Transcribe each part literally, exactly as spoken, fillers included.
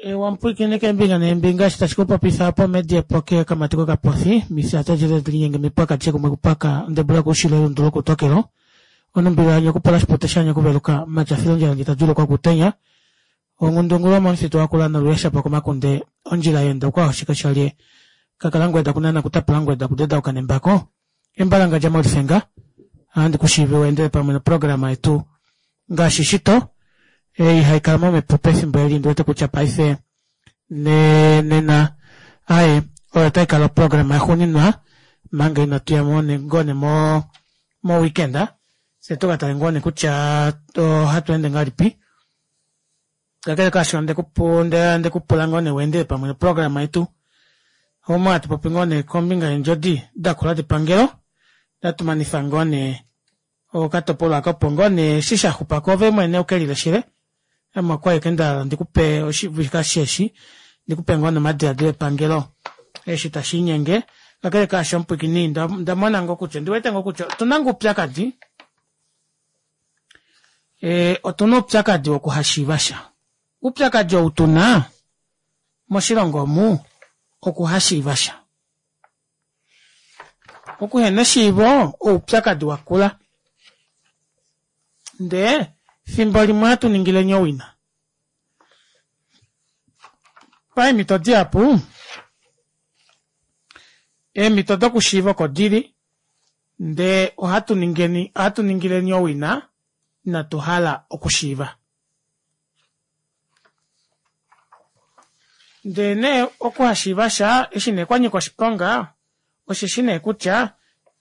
Wamupwiikine keembinga neembinga eshi tashi kupopifa opo media poke okamati kokapofi mifya tadjele linyenge mipwaka adishe kumwe kupaka ondebula koushilo elundu lokutokelo onumbilo yanye okupula oshipute shanye okuveluka matyafilo ondjila ndji tadjuulukwa okutenya onghundungulu yomomufitu wakula noluyeshapo komakunde ondjila yeenda okwahoshika shalye kakalangweda kunana kutapula ngweda kudedauka nembako embalangandja molifenga ohandi kushiivi weendele pamwe noprograma yetu ngaashi shito ei haikala momhepo pefimbo eli ndiwete kutya paife nena aaye oyo otaikala oprograma yaxuuninwa manga inatuya ngoo nee mo mo weekend fyee tukatale ngoo nee kutya ohatweende ngahelipi kakele kaasho ondekupula ngoo nee weendele pamwe noprograma yetu omo hatu popi ngoo nee kombinga yeendjodi dakula depangelo natumanifa ngoo nee okatopolwa aako opo ngoo nee eshi shaxupako ove mwene ukelileshele ame okwali ashike ndahala ndikupe oshivika eshi ndikupe ngoo nee omadilaadilo epangelo eshi tashiinyenge kakele kaasho omupwiikini ondamona ngoo kutya ondiwete ngoo kutya otuna ngoo oupyakadi otuna oupyakadi wokuhashiivasha oupyakadi ou tuna moshilongo omu okuhashiivasha okuhena eshiivo oupyakadi wakula ndee efimbo limwe ohatu ningileni owina paemito dihapu eemito dokushiiva oko dili ndee ohatu ningeni ohatu ningileni owina inatu hala okushiiva ndee nee okuhashiivasha eshi nee kwanyika oshiponga osheshi nee kutya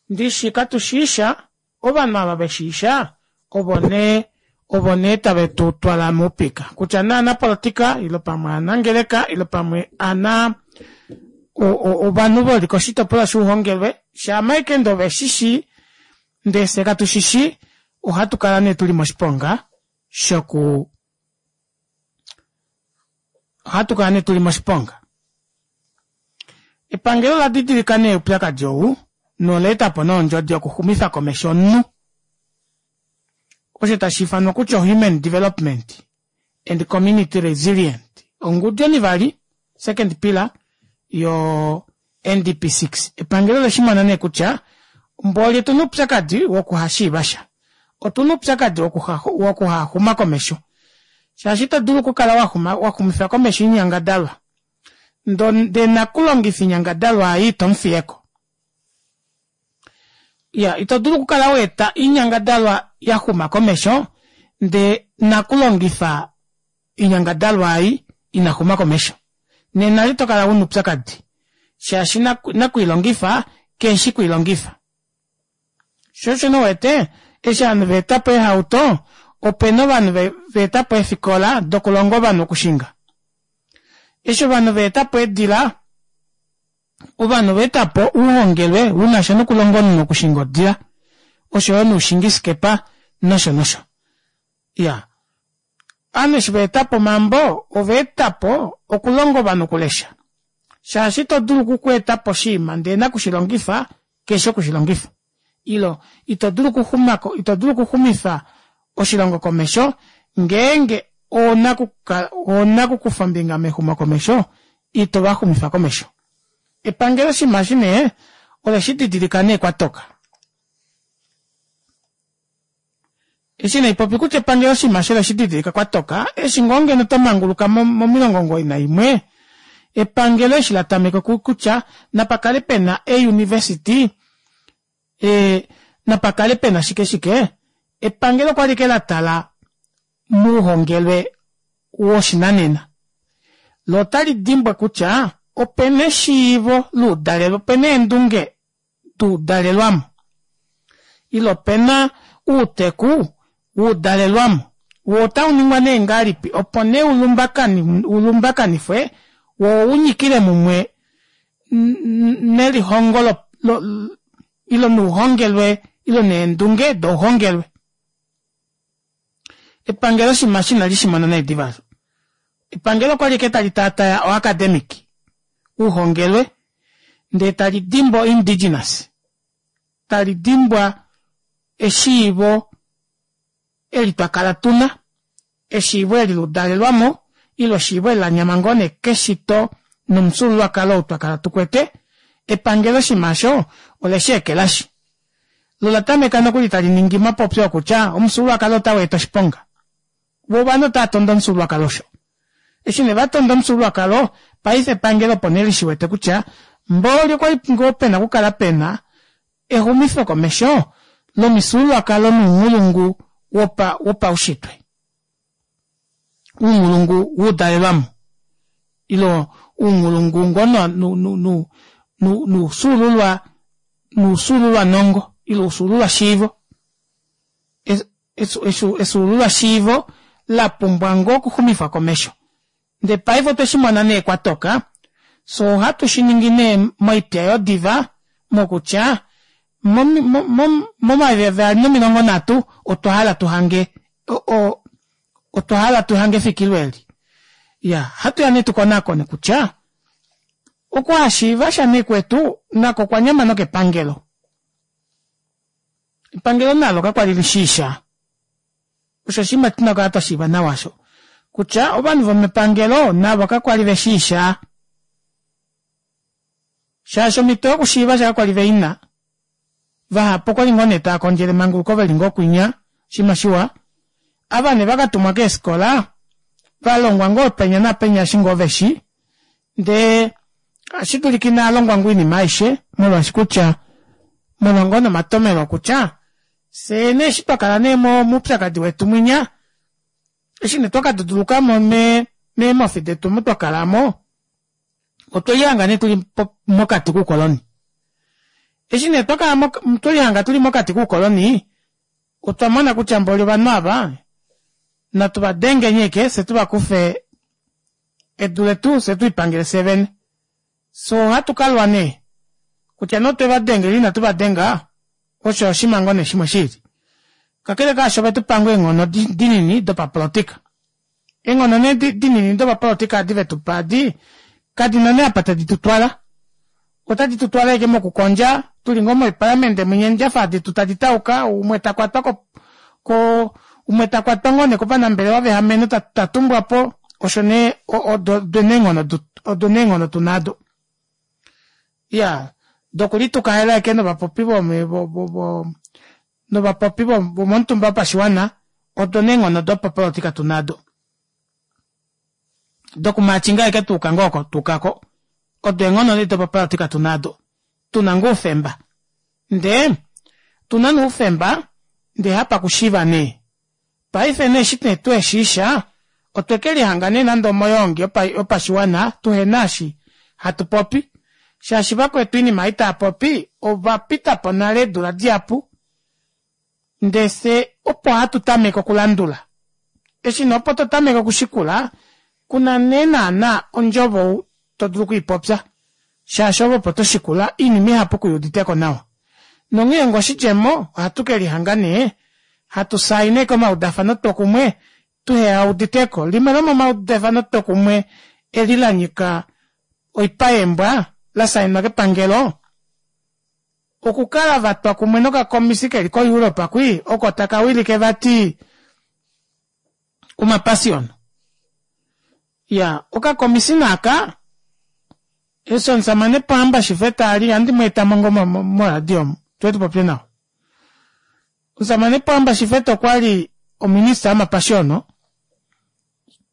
ndishi katushiisha ovanhu ava veshiisha ovo nee ovo nee tave tutwala moupika kutya nee ovanapolitika ile pamwe ovanangeleka ile pamwe ana ovanhu veli koshitopolwa shouhongelwe shaama ashike ndee oveshishi ndee fyee katushishi ohatu kala nee tuli moshiponga shoku ohatu kala nee tuli moshiponga epangelo ola didilika nee oupyakadi ou nola etapo nee ondjodi yokuxumifa komesho omunhu osho tashiifanwa kutya human development and community resilient ongudu onivali second pillar yo N D P six epangelo oleshimona nee kutya mboli otuna oupyakadi wokuhashiivasha otuna oupyakadi wokuhaxuma komesho shaashi ito dulu okukala waxumifa komesho oinyangadalwa ndee nakulongifa oinyangadalwa ei itomufiyeko iya ito dulu okukala waeta oinyangadalwa yaxuma komesho ndee nakulongifa oinyangadalwa ei inaxuma komesho nena itokala una oupyakadi shaashi nakuilongifa keshi kwiilongifa sho osho nee uwete eshi ovanhu vaetapo eehauto opena ovanhu vaetapo eefikola dokulonga ovanhu okushinga eshi ovanhu vaetapo eedila ovanhu ovaetapo ouhongelwe unasha nokulonga omunhu okushinga odila oshoyo noushingi skepa nosho nosho iyaa ovanhu eshi vaetapo omambo ovaetapo okulonga ovanhu okulesha shaashi ito dulu okweetapo oshinima ndee nakushilongifa keshi okushilongifa ile ito dulu okuxumako ito dulu okuxumifa oshilongo komesho ngeenge oonakukufa ombinga mexumokomesho ito vaxumifa komesho epangelo oshinima eshi nee oleshididilika nee kwatoka eshi naipopi kutya epangelo oshinima eshi oleshididilika kwatoka eshi ngoo ngeno twamanguluka momilongo omugoyi naimwe epangelo eshi latameka kutya napakale pena e university napakale pena shike shike epangelo okwali ashike latala mouhongelwe woshinanena loo otali dimbwa kutya opena eshiivo loudalelwe opena eendunge duudalelwamo ile opena outeku woudalelwamo woo otauningwa nee ngahelipi opo nee ulumbakanifwe woo unyikile mumwe nelihongo ile nouhongelwe ile neendunge douhongelwe epangelo oshinima eshi inali shimona nee diva aasho epangelo okwali ashike tali taataya o academic ouhongelwe ndee tali dimbwa indigenous tali dimbwa eshiivo eli twakala tuna eshiivo eli ludalelwamo Ile eshiivo eli lanyama ngoo nee keshito nomufyuululwakalo ou twakala tukwete, epangelo oshinima aasho olesheekelashi loo olatameka nokuli taliningi omapopyo okutya omufyuululwakalo ota weeta oshiponga voo ovanhu otaatondo omufyuululwakalo osho eshi nee vatonda omufyuululwakalo paife epangelo opo nee lishiwete kutya mboli okwali ngoo pena okukala pena exumifo komesho lomifyuululwakalo nounghulungu wopa wopaushitwe ounghulungu wudalelwamo ile ounghulungu ngoo nu nu noufyuululwa noufyuululwa nongo ile oufyuululwa shiivo efyuululwa shiivo lapumbwa ngoo okuxumifwa komesho ndee paife otweshimona nee kwatoka fyee ohatu shiningi nee moitya yodiva mokutya mo- mo- momayovi avali nomilongo nhatu otwa hala tuhange o- o otwa hala tuhange efikilo eeli iyaa ohatuya nee tukonakone kutya okuhashiivasha nee kwetu nako okwanyama nokepangelo epangelo nalo kakwali lishiisha osho oshinima tuna okukala twashiiva nawa aasho kutya ovanhu vomepangelo navo kakwali veshiisha shaashi omito yokushiiva sha kakwali veina vahapu okwali ngoo nee taakondjele emanguluko veli ngoo kwinya oshinima shiwa ava nee vakatumwa keefikola valongwa ngoo penya naapenya eshi ngoo veshi ndee ohashidulika inaalongwa ngoo oinima aishe molwaashi kutya molwa ngoo nee omatomeno okutya fyee nee eshi twakala nee moupyakadi wetu mwinya eshi nee twakadudulukamo mee meemofi detu omu twakalamo otwelihanga nee tuli mokati koukoloni eshi nee twakala twelihanga tuli mokati koukoloni otwa mona kutya mboli ovanhu aava natu vadengeni ashike fyee tuvakufe edu letu fyee tulipangele fyee vene fyee ohatu kalwa nee kutya nee otwe vadenga ile inatu vadenga osho oshinima ngoo nee shimwe shiili kakele kaasho ovetupa ngoo eenghono dinini dopapolitika eenghono nee dinini dopapolitika edi vetupa edi kadina nee apa tadi tutwala otadi tutwala ashike mokukondja tuli ngoo moipalamende mwinya eendjafa detu tadi tauka umwe takwatwa ko ko umwe takwatwa ngoo nee kovanambelewa veameno tatumbwapo osho nee odo eenghono odo nee eenghono tuna aado iyaa dokulitukalela ashike novapopi vo novapopi vomomutumba wopashiwana odo nee eenghono dopapolitika tuna aado dokumatyinga ashike twayuka ngoo oko twayukako odo eenghono nee dopapolitika tuna aado tuna ngoo oufemba ndee otuna nee oufemba ndee hapakushiiva nee paife nee eshi nee tuheshiisha otwekelihanga nee nande omoyoongi yopashiwana tuhena eshi hatu popi shaashi vakwetu oinima ei taapopi ovapitapo nale eedula dihapu ndee fyee opo hatu tameke okulandula eshi nee opo totameke okushikula kuna nee naana ondjovo todulu okwiipopya shaashi ove opo toshikula oinima ihapu kuyuuditeko nawa nonghee onga oshidjemo ohatu kelihanga nee hatu saina ashike omaudafano twokumwe tuheyauditeko limwe lomomaudafano twokumwe eli lanyika oipa yeembwa lasainwa kepangelo okukala vatwa kumwe nokakomisi keli ko europe kwii oko takawilike vati omapashiyono iyaa okakomisi nee aka eshi omushamane pohamba shifeta ali ohandi mweetamo ngoo moradio omu tuye tupopye nawa omushamane pohamba shifeta okwali ominister yomapashiyono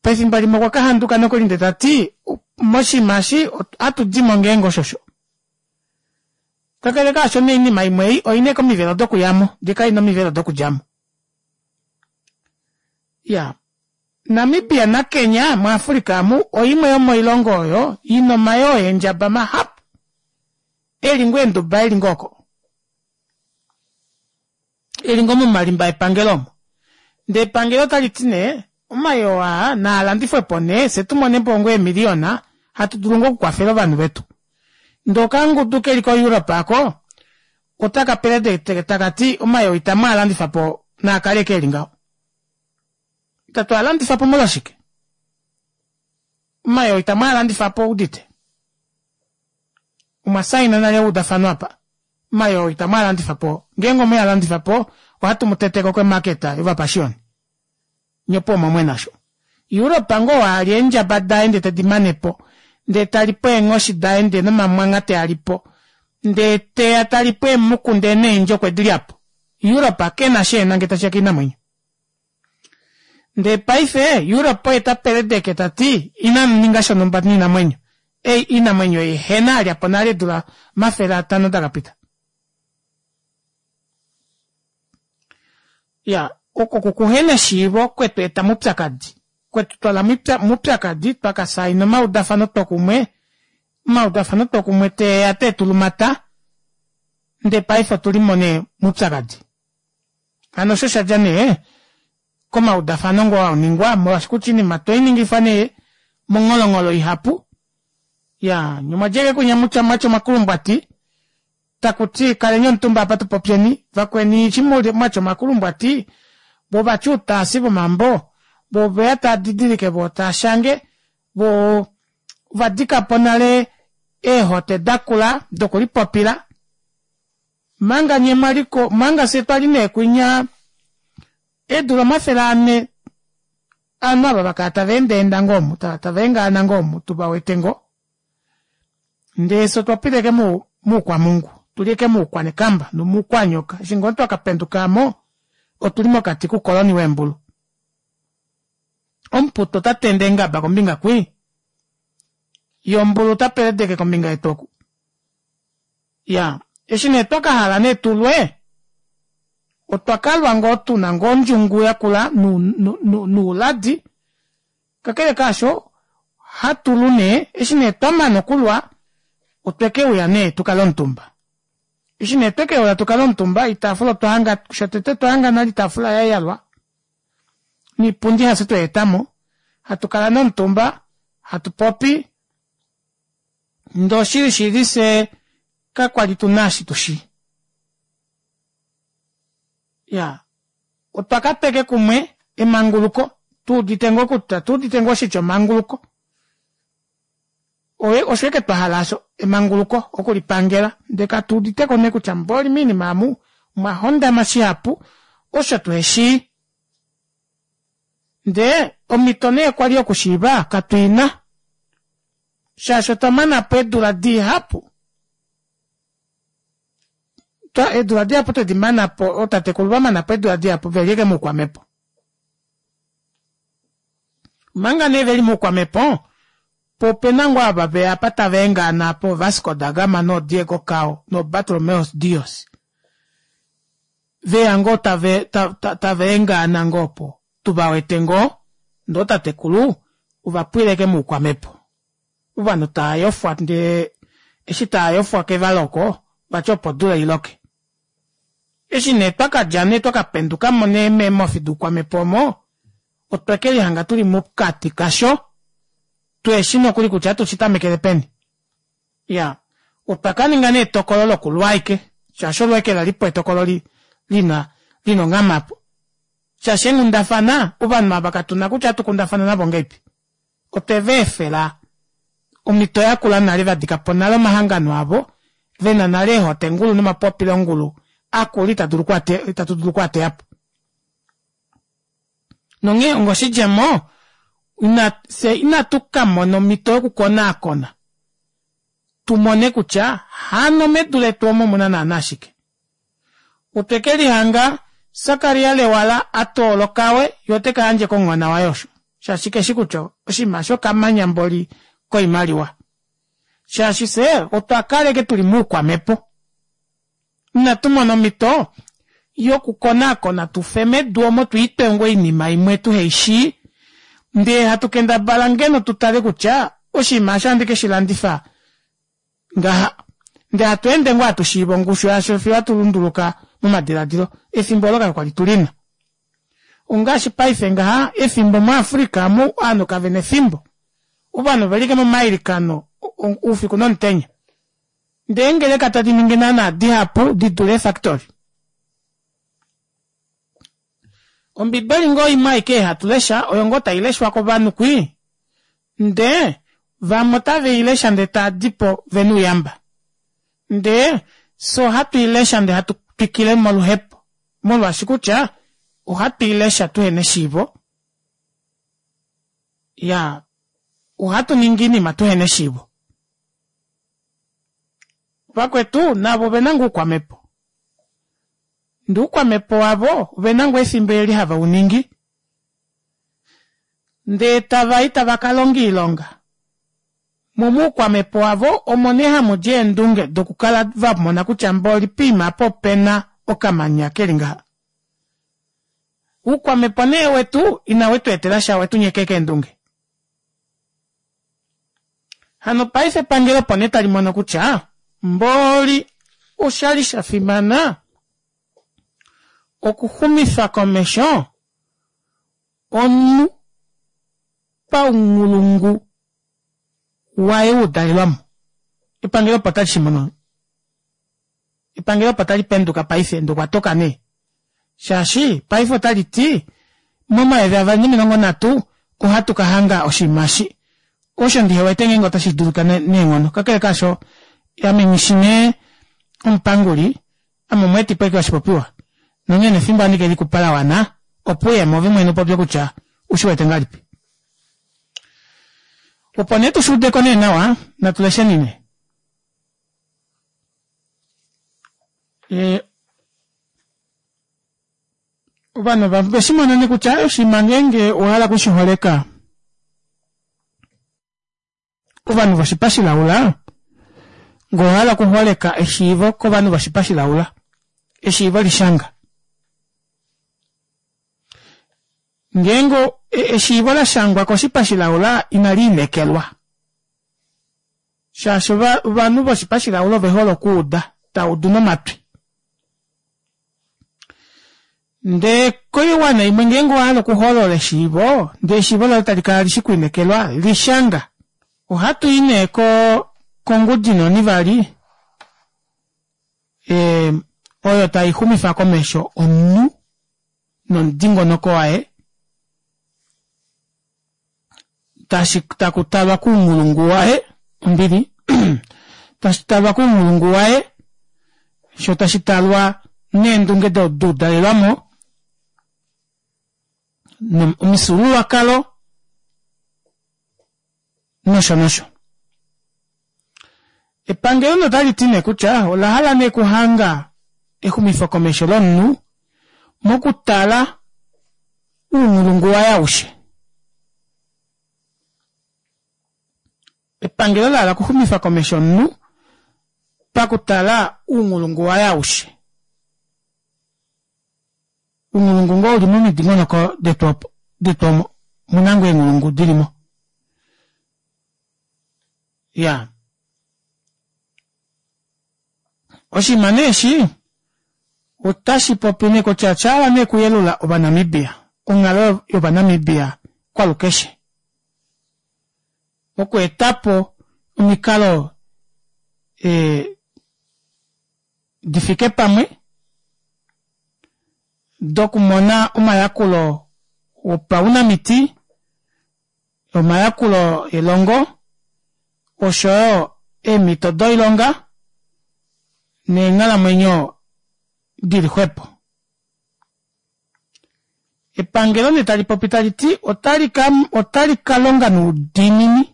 pefimbo limwe okwa kahanduka nokuli ndee tati moshinima eshi ohatudimo ngeenge osho osho kakele kaasho nee oinima imwe ei oina ashike omivelo dokuyamo ndee kaina omivelo dokudjamo iyaa Namibia na Kenya mu africa amu oimwe yomoilongo oyo ina omayoo eendjaba mahapu eli ngoo eenduba eli ngoo oko eli ngoo momalimba epangelo omo ndee epangelo otaliti nee omayoo aa naalandifwepo nee fyee tumonepo ngoo eemiliyona hatu dulu ngoo okukwafela ovanhu vetu ndee okangudu keli ko europe aako otaka peledeke takati omayoo itamwaalandifapo naakale ashike eli ngaho itatu alandifapo molwashike omayoo itamwaalandifapo owuudite omwa saina nale eudafano apa omayoo itamwaalandifapo ngeenge omwealandifapo ohatu muteteko ko market yovapashioni nyee opuwo omwamwena aasho Europa ngoo ali eendjaba daye ndee tedi manepo ndee talipo eenghoshi daye ndee nomamwangha tealipo ndee teya talipo eemuku ndee neendje okwedilyapo. Europa kena eshi ehena ngee tashiya koinamwenyo. Ndee paife Europe oye tapeledeke tati inamuninga shonumba noinamwenyo ei oinamwenyo ei ehena alyapo nale eedula omafele atanho dakapita. Iyaa oko okuhena eshiivo kwetweeta moupyakadi kwetutwala moupyakadi twaka saina omaudafano twokumwe omaudafano twokumwe teeya teetulumata ndee paife otulimo nee moupyakadi. Hano osho oshadja nee komaudafano ngoo aningwa molwaashi kutya oinima otweiningifwa nee mongholongholo ihapu iyaa nyee omwadja ashike kwinya mwatya omakulumbwati takuti kaleni omutumba aapa tupopyeni vakweni eshi mwatya omakulumbwati voo vatya outaasi vomambo voo oveya taadidilike voo taashange voo ovadikapo nale eehote dakula dokulipopila omanga nyee mwaliko omanga fyee twali neekunya eedula omafele anhe ovanhu aava vakala taveendaenda ngoo omu tavaengaana ngoo omu tuvawete ngoo ndee fyee otwapita ashike moukwamhungu otuli ashike moukwanekamba nomoukwanyoka eshi ngoo twakapenduka aamo otuli mokati koukoloni weembulu. Omuputu otatende eengaba kombinga kwii yee ombulu otapeledeke kombinga yetu oku iyaa eshi nee twakahala nee tulwe otwa kalwa ngoo tuna ngoo ondjungu yakula nouladi kakele kaasho ohatulu nee eshi nee twamana okulwa otwekeuya nee tukale omutumba eshi nee twekeuya tukale omutumba oitaafula otwahanga shotete otwahanga nale oitaafula yayalwa noipundi hafye tweetamo hatukala nee omutumba hatupopi ndee oshili shili fyee kakwali tuna eshi tushi iyaa otwa katwa ashike kumwe emanguluko tuudite ngoo kutya otuudite ngoo oshitya emanguluko osho ashike twahala aasho emanguluko okulipangela ndee katuuditeko nee kutya mboli moinima aamu omwahondama shihapu osho tuheshii ndee omito nee kwali yokushiiva katuina shaashi otwa manapo eedula dihapu eedula dihapu twedimanapo ootatekulu vamanapo eedula dihapu veli ashike moukwamepo. Omanga nee veli moukwamepo poo opena ngoo ava veya apa tava engaana aapa oo vasco da gama noo diego cao noo bartolomeus dios veya ngoo tava engaana ngoo opo tuvawete ngoo ndee ootatekulu ovapwila ashike moukwamepo ovanhu taayofwa ndee eshi taayofwa kevala oko vati opo odula iloke. Eshi nee twakadja nee twakapendukamo nee meemofi doukwamhepo omo otwekelihanga tuli mokati kasho tuheshi nokuli kutya ohatu shitamekele peni. Iyaa otwa kaninga nee etokolo lokulwa ashike shaashi olo ashike lalipo etokolo lina lina onghama aapo shaashi eenghundafana ovanhu aava katuna kutya ohatu kundafana navo ngahelipi otwe vaefela omito yakula nale vadikapo nale omahangano avo vena nale eehotengulu nomapopilongulu akula itatu dulu okwaateyapo. Nonghee onga oshidjemo fyee inatu kamona omito yoku konaakona tumone kutya hano medu letu omu omuna naana shike. Otwekelihanga sakaria lewala atoola okawe yee otekayandje komuhona waye osho shaashi keshi kutya oshinima aasho okamanya mboli koimaliwa shaashi fyee otwa kala ashike tuli moukwamepo inatu mona omito yoku konaakona tufe medu omo twiitwe ngoo oinima imwe tuheishii ndee hatu kendabala ngeno tutale kutya oshinima eshi ohandi keshilandifa ngaha ndee hatweende ngoo hatushiiva ongushu yasho fiyo hatu lunduluka momadilaadilo efimbo oolo kakwali tulina. Ongaashi paife ngaha efimbo mu africa omu ovanhu kavena efimbo ovanhu oveli ashike momailikano oufiku nomutenya ndee eengeleka tadi ningi naana dihapu didule eefactory. Ombibeli ngoo imwe aike ei hatulesha oyo ngoo taileshwa kovanhu kwii ndee vamwe otaveilesha ndee taadipo vena ouyamba ndee fyee ohatwiilesha ndee hatu twikile moluhepo molwaashi kutya ohatu ilesha tuhena eshiivo Ya, ohatu ningi oinima tuhena eshiivo. Vakwetu navo ovena ngoo oukwamhepo. Ndee oukwamhepo wavo ovena ngoo efimbo eli have uningi ndee tavai tava kalonga oilonga moo moukwamhepo wavo omo nee hamudi eendunge dokukala vamona kutya mboli poima apa opena okamanya keli ngaha. Oukwamhepo nee wetu ina wetweetelasha owetunyeka ashike eendunge. Hano paife epangelo opo nee talimono kutya mboli oshali shafimana okuxumifa komesho omunhu paunghulungu waye wudalelwamo. Epangelo opo talishimono, epangelo opo talipenduka paife ndee okwatoka nee shaashi paife otaliti momayovi avali nomilongo nhatu ohatu kahanga oshinima eshi osho ndihewete ngeenge ota shidulika neenghono kakele kaasho ame nghishi nee omupanguli ame omweetipo ashike woshipopiwa nonghee nefimbo ohandi kelikupa lawana opo uyemo ove mwene upopye kutya ushiwete ngahelipi. Opo nee tushuudeko nee nawa natulesheni nee ee ovanhu oveshimona nee kutya oshinima ngeenge owahala okushiholeka ovanhu voshipa shilaula ngee owahala okuholeka eshiivo kovanhu voshipa shilaula eshiivo lishanga ngeenge eshiivo lashangwa koshipa shilaula inaliinekelwa shaashi ovanhu voshipa shilaula ovehole okuuda taudu nomatwi ndee koiwana imwe ngeenge owahala okuholola eshiivo ndee eshiivo loye talikala lishi okwiinekelwa lishanga ohatuyi nee kongudi nee onivali ee oyo taixumifa komesho omunhu nomudingonoko waye tashi takutalwa kounghulungu waye ombili tashitalwa kounghulungu waye shoo tashitalwa neendunge doudalelwamo omifyuululwakalo nosho nosho. Epangelo nee otaliti nee kutya olahala nee okuhanga exumifokomesho lomunhu mokutala ounghulungu waye aushe. Epangelo lahala okuxumifa komesho omunhu pakutala ounghulungu waye aushe. Ounghulungu ngoo uli momidingonoko detu opo detu omo omuna ngoo eenghulungu dilimo. Iyaa oshinima nee eshi otashipopi nee kutya oshahala nee okuyelula ova namibia onghalo yova namibia kwalukeshe okweetapo omikalo ee difike pamwe dokumona omayakulo opaunamiti omayakulo elongo oshoyo eemito doilonga neenghalamwenyo dili xwepo. Epangelo nee talipopi taliti otali kalonga noudiinini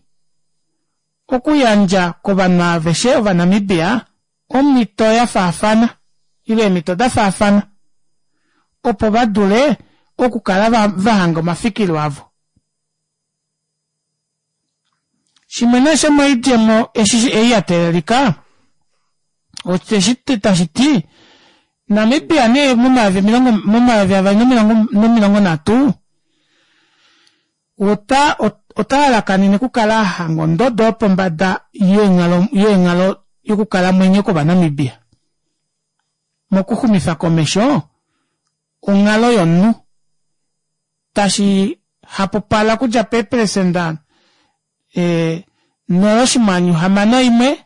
okuyandja kovanhu aveshe ova Namibia omito yafaafana ile eemito dafaafana opo vadule okukala vahanga omafikilo avo. Shimwe nee shomoidjemo eshi ei yateelelika osheshi tashiti Namibia nee momayovi omilongo momayovi avali nomilongo nhatu ota otalalakanene okukala ahanga ondodo yopombada yeenghalo yokukalamwenyo kova Namibia mokuxumifa komesho onghalo yomunhu tashi hapupala okudja peeperesenda nola oshinghwanyu hamano imwe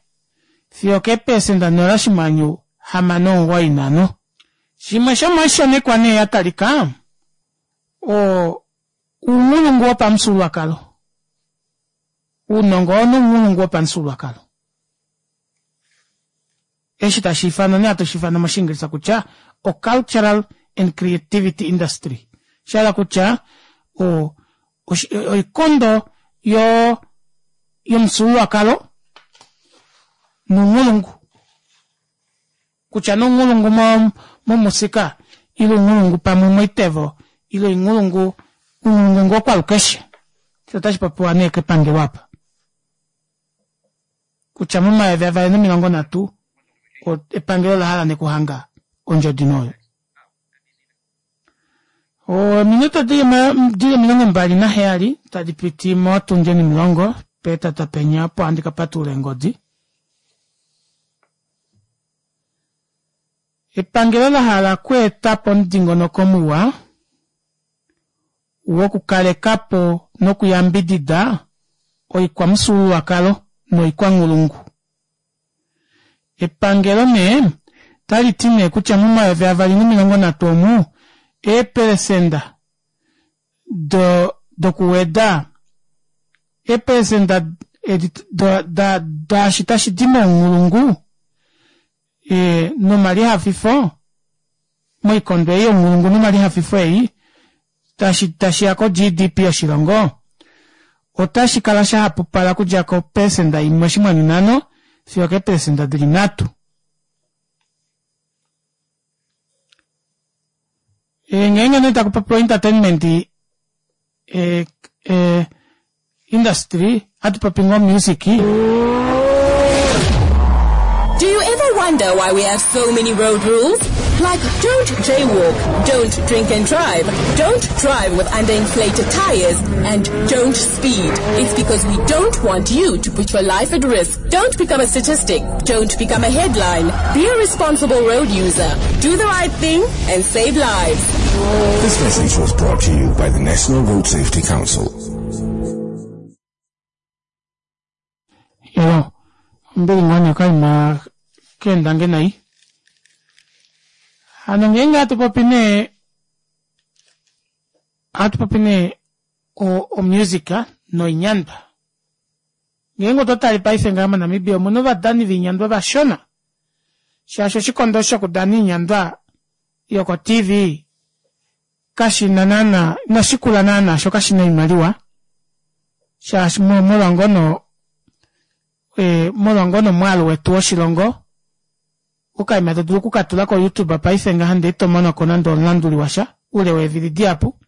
fiyo okeeperesenda nola oshinghwanyu hamano omugoyi nanhano. Shimwe shomoishonekwa nee yatalika oo ounghulungu wopamufyuululwakalo ounongo nounghulungu wopamufyuululwakalo eshi tashiifanwa nee hatu shiifana moshingilisha kutya o cultural and creativity industry oshahala kutya o Oikondo yo yomufyuululwakalo nounghulungu kutya nee ounghulungu momusika ile ounghulungu pamwe moitevo ile oinghulungu ounghulungu ngoo kwalukeshe osho otashipopiwa nee kepangelo aapa kutya momayovi avali nomilongo nhatu epangelo olahala nee okuhanga ondjodi nee oyo. Ominute dili omilongo mbali naheyali tadipiti motundi onimulongo pohetatu penya opo handi kapatulula eengodi. Epangelo lahala okweetapo omudingonoko muwa wokukalekapo nokuyambidida oikwamufyuululwakalo noikwanghulungu. Epangelo nee otaliti nee kutya momayovi avali nomilongo nhatu omu eeprecenter dokuweda eeprecenter daashi tashidi mounghulungu nomalihafifo moikondo ei younghulungu nomalihafifo ei tashiya ko G D P yoshilongo ota shikala shahapupala okudja kopersenda imwe oshinghwanyu nhano fiyo keepersenda dili nhatu. Ngeenge nee takupopiwa entertainment industry ohatupopi ngoo music. Do you ever wonder why we have so many road rules? Like don't jaywalk, don't drink and drive, don't drive with underinflated tires, and don't speed. It's because we don't want you to put your life at risk. Don't become a statistic. Don't become a headline. Be a responsible road user. Do the right thing and save lives. This message was brought to you by the National Road Safety Council. Yo, ombili ngoo nee okaima keendange nai. Hano ngeenge hatu popi nee ohatu popi nee omusic noinyandwa. Ngeenge otwa tale paife ngaha moNamibia omuna ovadani voinyandwa vashona shaashi oshikondo shokudana oinyandwa yoko T V kashina naana inashikula naana sho kashina oimaliwa shaashi molwa ngono molwa ngono omwaalu wetu woshilongo okaima todulu okukatula ko YouTube paife ngaha ndee itomonoko nande omulanduli washa ule weevili dihapu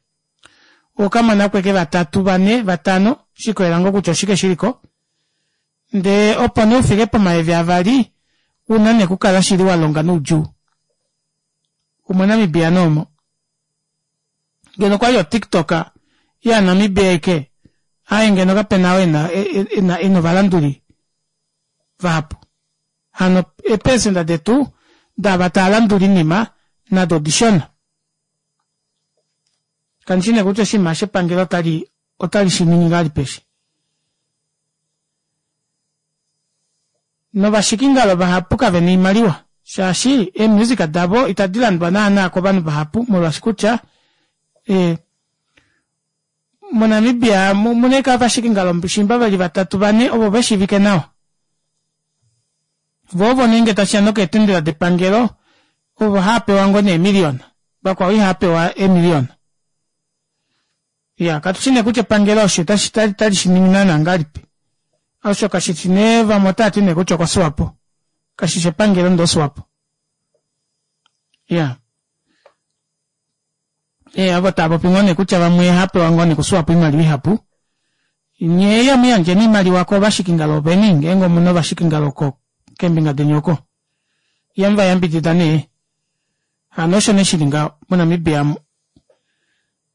okamona kweke vatatu vane vatano shikolela ngoo kutya oshike shiliko ndee opo nee ufike pomayovi avali una nee okukala shili walonga noudjuu omoNamibia noomo ngeno okwali o TikTok yaNamibia aike aaye ngeno kapena oo ena ena ovalanduli vahapu hano eepersenda detu daava taalandula oinima nado odishona. Kandishi nee kutya oshinima shepangelo otali otali shiningi ngahelipi eshi. Novashikingalo vahapu kavena oimaliwa shaashi eemusic davo itadi landwa naana kovanhu vahapu molwaashi kutya moNamibia omuna ashike ovashikingalo shimba veli vatatu vane ovo veshiivike nawa. Vo ovo nee ngee tashiya nokeetendela depangelo ovo haapewa ngoo nee eemiliona vakwao ihaapewa eemiliona. Iya katushi nee kutya epangelo osho otali shiningi naana ngahelipi. Osho kashishi nee vamwe otaati nee kutya okoswapo kashishi epangelo ndee oswapo. Iya ee ovo taapopi ngoo nee kutya vamwe ohaapewa ngoo nee koswapo oimaliwa ihapu. Nyee yamuyandjeni oimaliwa kovashikingalo veni ngeenge omuna ovashikingalo keembinga deni oko ihamuvayambidida nee. Hano osho nee shili ngaho moNamibia amu.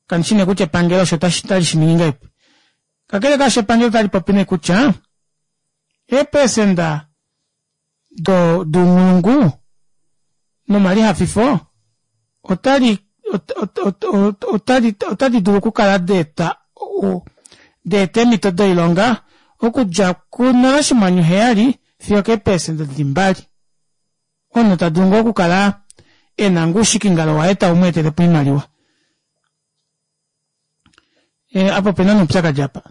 Kandishi nee kutya epangelo osho otali shiningi ngahelipi. Kakele kaasho epangelo otali popi nee kutya eepersenda dounghulungu nomalihafifo otali otali otadi dulu okukala daeta daeta eemhito doilonga okudja kunola oshinghwanyu heyali fiyo keepersenda dili mbali. Omunhu tadulu ngoo okukala ena ngoo oushikingalo waye taumweetelepo oimaliwa. Apa opena nee oupyakadi apa.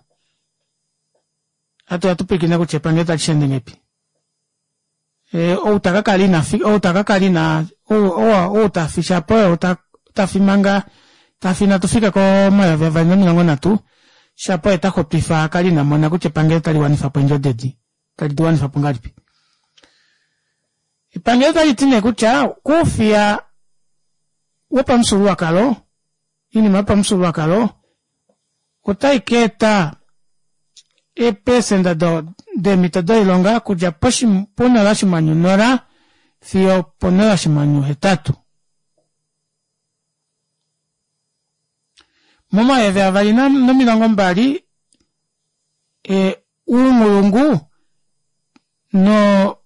Hatu hatupwilikine kutya epangelo otali sheende ngahelipi. Ou takakala ina ou takakala ina ou tafi shapo oye tafi manga tafi inatu fika komayovi avali nomilongo nhatu Shapo oye taxupifa kali ina mona kutya epangelo otali wanifapo eendjodi edi tali diwanifapo ngahelipi. Epangelo otaliti nee kutya koufiya wopamufyuululwakalo oinima yopamufyuululwakalo otaikaeta eeprecenter deemito doilonga okudja ponola oshinghwanyu nola fiyo oponola oshinghwanyu hetatu. Momayovi avali nomilongo mbali ee ounghulungu noo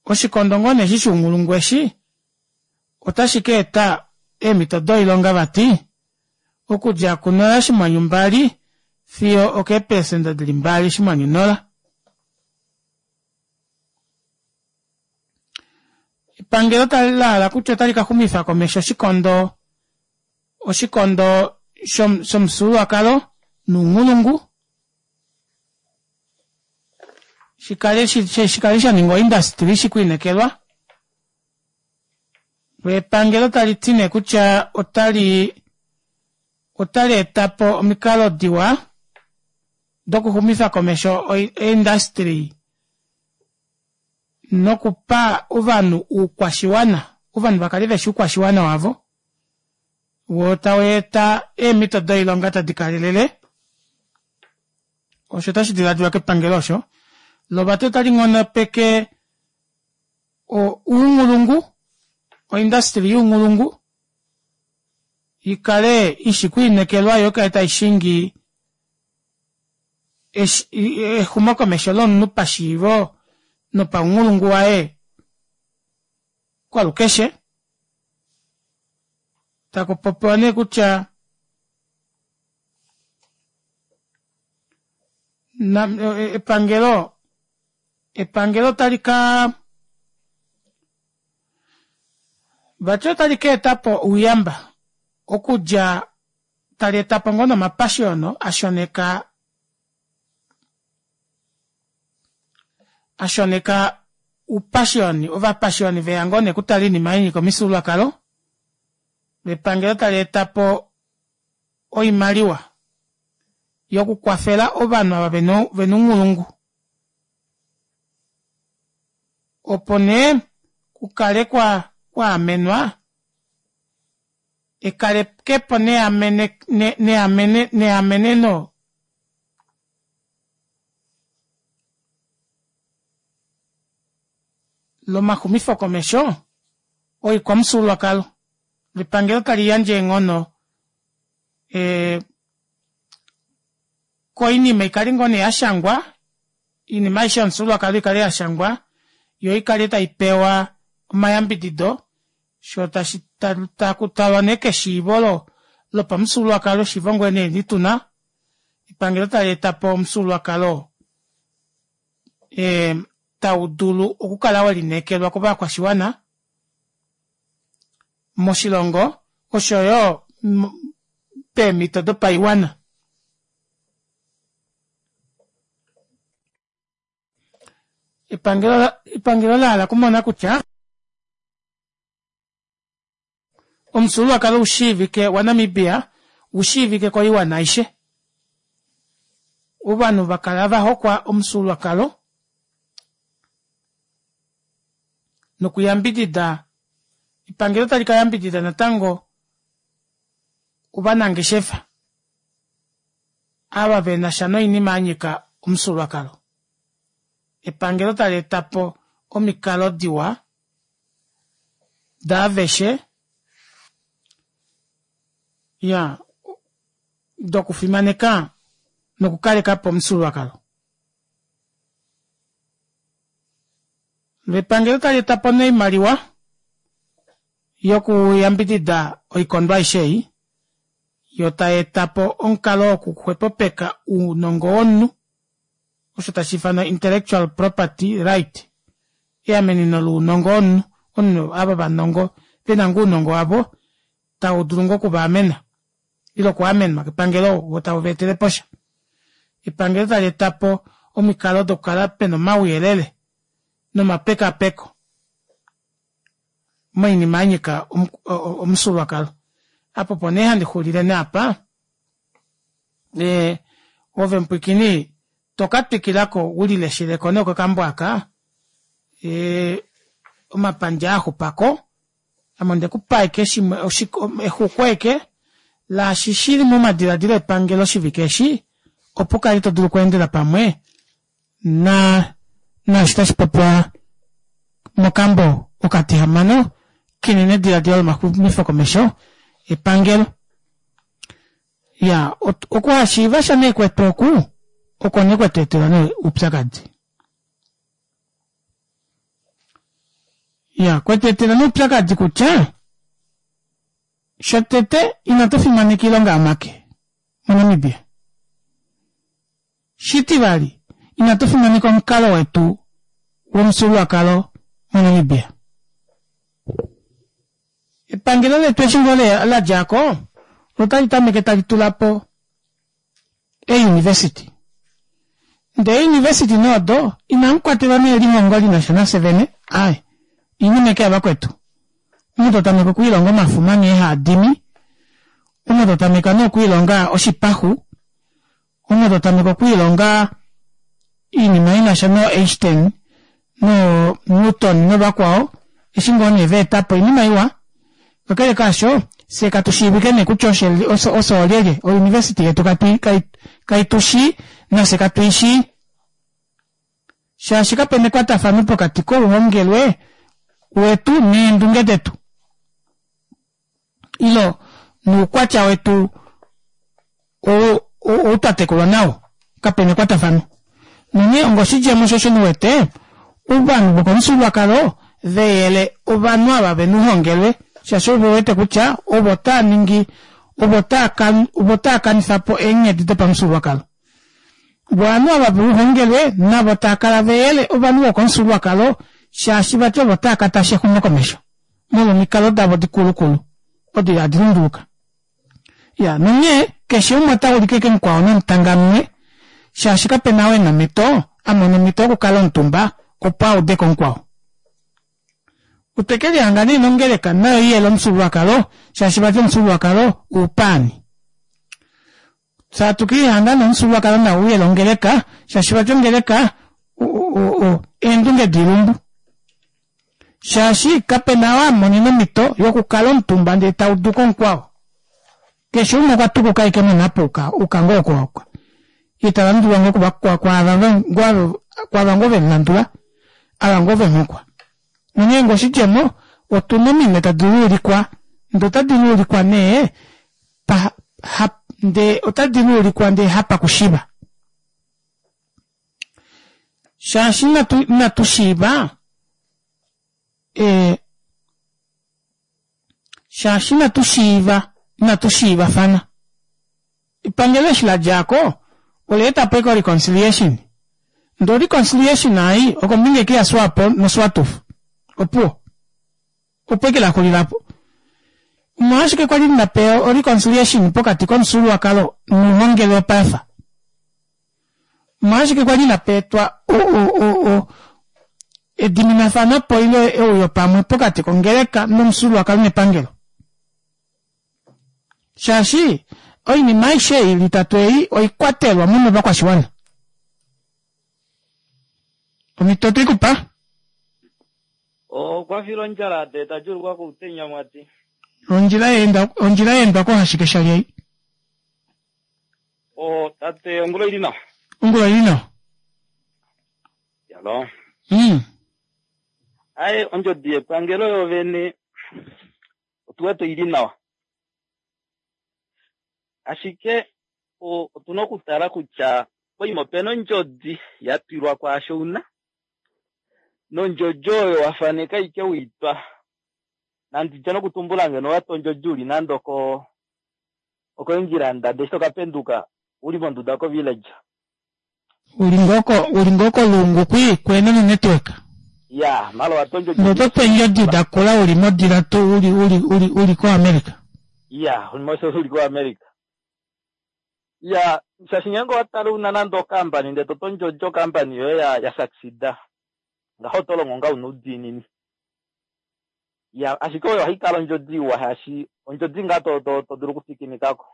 oshikondo ngoo nee eshi shounghulungu eshi ota shikaeta eemito doilonga vati okudja kunola oshinghwanyu mbali fiyo okeepelecenter dili mbali oshinghwanyu nola. Epangelo lahala kutya ota likaxumifa komesho oshikondo oshikondo shomufyuululwakalo nounghulungu shikale shikale shaninga o industry ishikwiinekelwa loo epangelo taliti nee kutya otali otaleetapo omikalo diwa dokuxumifa komesho ee industry nokupa ovanhu oukwashiwana ovanhu vakale veshi oukwashiwana wavo woo taweeta eemito doilonga tadi kalelele osho tashi dilaadilwa kepangelo osho loo vati otali nghonopeke ounghulungu o industry younghulungu ikale ishi kwiinekelwa yoo ikale taishingi exumokomesho lomunhu pashiivo nopaunghulungu waye kwalukeshe takupopiwa nee kutya epangelo epangelo otalikaa vati otali kaetapo ouyamba okudja taleetapo ngoo nee omapashiyono ashoneka ashoneka oupashiyoni ovapashiyoni veya ngoo nee okutala oinima yanyika omifyuululwakalo epangelo taleetapo oimaliwa yokukwafela ovanhu ava vena ounghulungu opo nee kukale kwaamenwa ekalekepo neameneno lomaxumifo komesho oikwamufyuululwakalo epangelo taliyandje eenghono ee koinima ikale ngoo nee yashangwa oinima aishe yomufyuululwakalo ikale yashangwa yoo ikale taipewa omayambidido shoo tashi takutalwa nee keshiivo lopamufyuululwakalo eshiivo ngoo nee lituna epangelo taleetapo omufyuululwakalo ee taudulu okukala welineekelwa kovakwashiwana moshilongo oshoyo peemito dopaiwana. Epangelo epangelo lahala okumona kutya omufyuululwakalo ushiivike wa namibia ushiivike koiwana aishe ovanhu vakala vahokwa omufyuululwakalo nokuyambidida epangelo otali kayambidida natango ovanangeshefa ava venasha noinima yanyika omufyuululwakalo epangelo taleetapo omikalo diwa daaveshe iyaa dokufimaneka nokukalekapo omufyuululwakalo epangelo taleetapo nee oimaliwa yokuyambidida oikondo aishe ei yoo tayeetapo omukalo wokuxwepopeka ounongo womunhu osho tashiifanwa intellectual property right eameneno lounongo womunhu omunhu ava vanongo vena ngoo ounongo wavo taudulu ngoo okuvaamena ile okwaamenwa kepangelo woo tauvaeteleposha epangelo taleetapo omikalo dokukala pena omauyelele nomapekapeko moinima yanyika omufyuululwakalo Apo opo nee handi xulile nee apa. Ee ove mupwiikini toka twikilako ulilesheleko nee okakambo aka ee omapandja aaxupako ame ondekupa ashike shimwe exuku ashike laashi shili momadilaadilo epangelo oshivike eshi opo ukale todulu okweendela pamwe naa naashi tashipopiwa mokambo okatihamano kenenedilaadilo lomaxumifo komesho epangelo. Iyaa okuhashiivasha nee kwetu oku oko nee kwetweetela nee oupyakadi. Iyaa kwetweetela nee oupyakadi kutya shotete inatu fimaneka oilonga yomake mo namibia. Shitivali inatu fimaneka omukalo wetu womufyuululwakalo mo namibia. Epangelo letu eshi ngoo ladjako otali tameke tali tulapo ee university ndee ee university nee odo inamukwatelwa nee elihongo linasha nafye vene aaye oinima ashike yavakwetu. Omunhu totameke okwiilonga omafuma nghee haadimi, omunhu totameke nee okwiilonga oshipaxu, omunhu totameke okwiilonga oinima inasha noo einstein noo newton novakwao eshi ngoo nee vaetapo oinima iwa kakele kaasho fyee katushiivike nee kutya ofye oolyelye o university yetu kaitushii nafye katuishii shaashi kapena ekwatafano pokati kouhongelwe wetu neendunge detu ile noukwatya wetu ou twatekulwa nao kapena ekwatafano. Nonghee onga oshidjemo shoo osho uwete ovanhu vokomufyuululwakalo veyele ovanhu ava vena ouhongelwe shaashi ovewete kutya ovo taaningi ovo ovo taakanifapo eenghedi dopamufyuululwakalo voo ovanhu ava vouhongelwe navo taakala veyele ovanhu vokomufyuululwakalo shaashi vati ovo taakatasha exumokomesho molwo omikalo davo dikulukulu odo ihadi lunduluka. Iyaa nonghee keshe umwe otaulike ashike mukwao nomutangalule shaashi kapena ou ena omito amona omito yokukala omutumba opo audeko mukwao. Otwekelihanga nee nongeleka nayo iyele omufyuululwakalo shaashi vati omufyuululwakalo oupaani. Fyee hatu kelihanga nee omufyuululwakalo nao uyele ongeleka shaashi vati ongeleka eendunge doilumbu. Shaashi kapena ou amonene omito yokukala omutumba ndee tauduko mukwao. Keshe umwe okwa tukuka ashike monhapo ayuka ngoo oko ayuka yee talandulwa ngoo kwaava ngoo vemulandula ava ngoo vemuhokwa. Nonghee ngoo oshidjemo otuna ominwe tadi luulikwa ndee otadi luulikwa nee ndee otadi luulikwa ndee hapakushiva. Shaashi inatushiiva ee shaashi inatushiiva inatushiivafana. Epangelo eshi ladjako olaetapo ashike o reconciliation ndee o reconciliation ei okombinga ashike ya swapo no swatuf opuwo opo ashike laxulila aapo. Omolwashike kwali munapeya o reconciliation pokati komufyuululwakalo nouhongelwe wopaife? Omolwashike kwali inapeetwa ediminafanopo ile euyo pamwe pokati kongeleka nomufyuululwakalo nepangelo? Shaashi oinima aishe ei ili itatu ei oikwatelwa munovakwashiwana. Omito otweikupa? Okwa fila ondjala ndee ta djuulukwa koutenya mwati. Ondjila yeenda ondjila yeendwa kohashike shali ei? O tate ongula oili nawa. Ongula oili nawa. Yalo. Mm. Aye ondjodi yepangelo yovene otu wete oili nawa. Ashike otuna okutala kutya poima opena ondjodi ya twilwa kwaasho una nondjodi oyo wafaneka ike weitwa nanditye nokutumbula ngeno owatwa ondjodi uli nande oko oko England ndee eshi tokapenduka uli monduda ko village. Uli ngoo ko uli ngoo koluungu kwii kuhena no network. Ya mala owatwa ondjodi Ndee oto tu eendjodi dakula uli modila tu uli uli uli uli ko America. Ya uli ko America. Ya shaashi ngeenge owatale una nande okampani ndee toto ondjodi okampani yoye ya ya succeeda ngaho oto longo ngaa una oudiinini. Ya, ashike oyo ohayi kala ondjodi iwa shaashi ondjodi ngaa to to to dulu okufikinikako.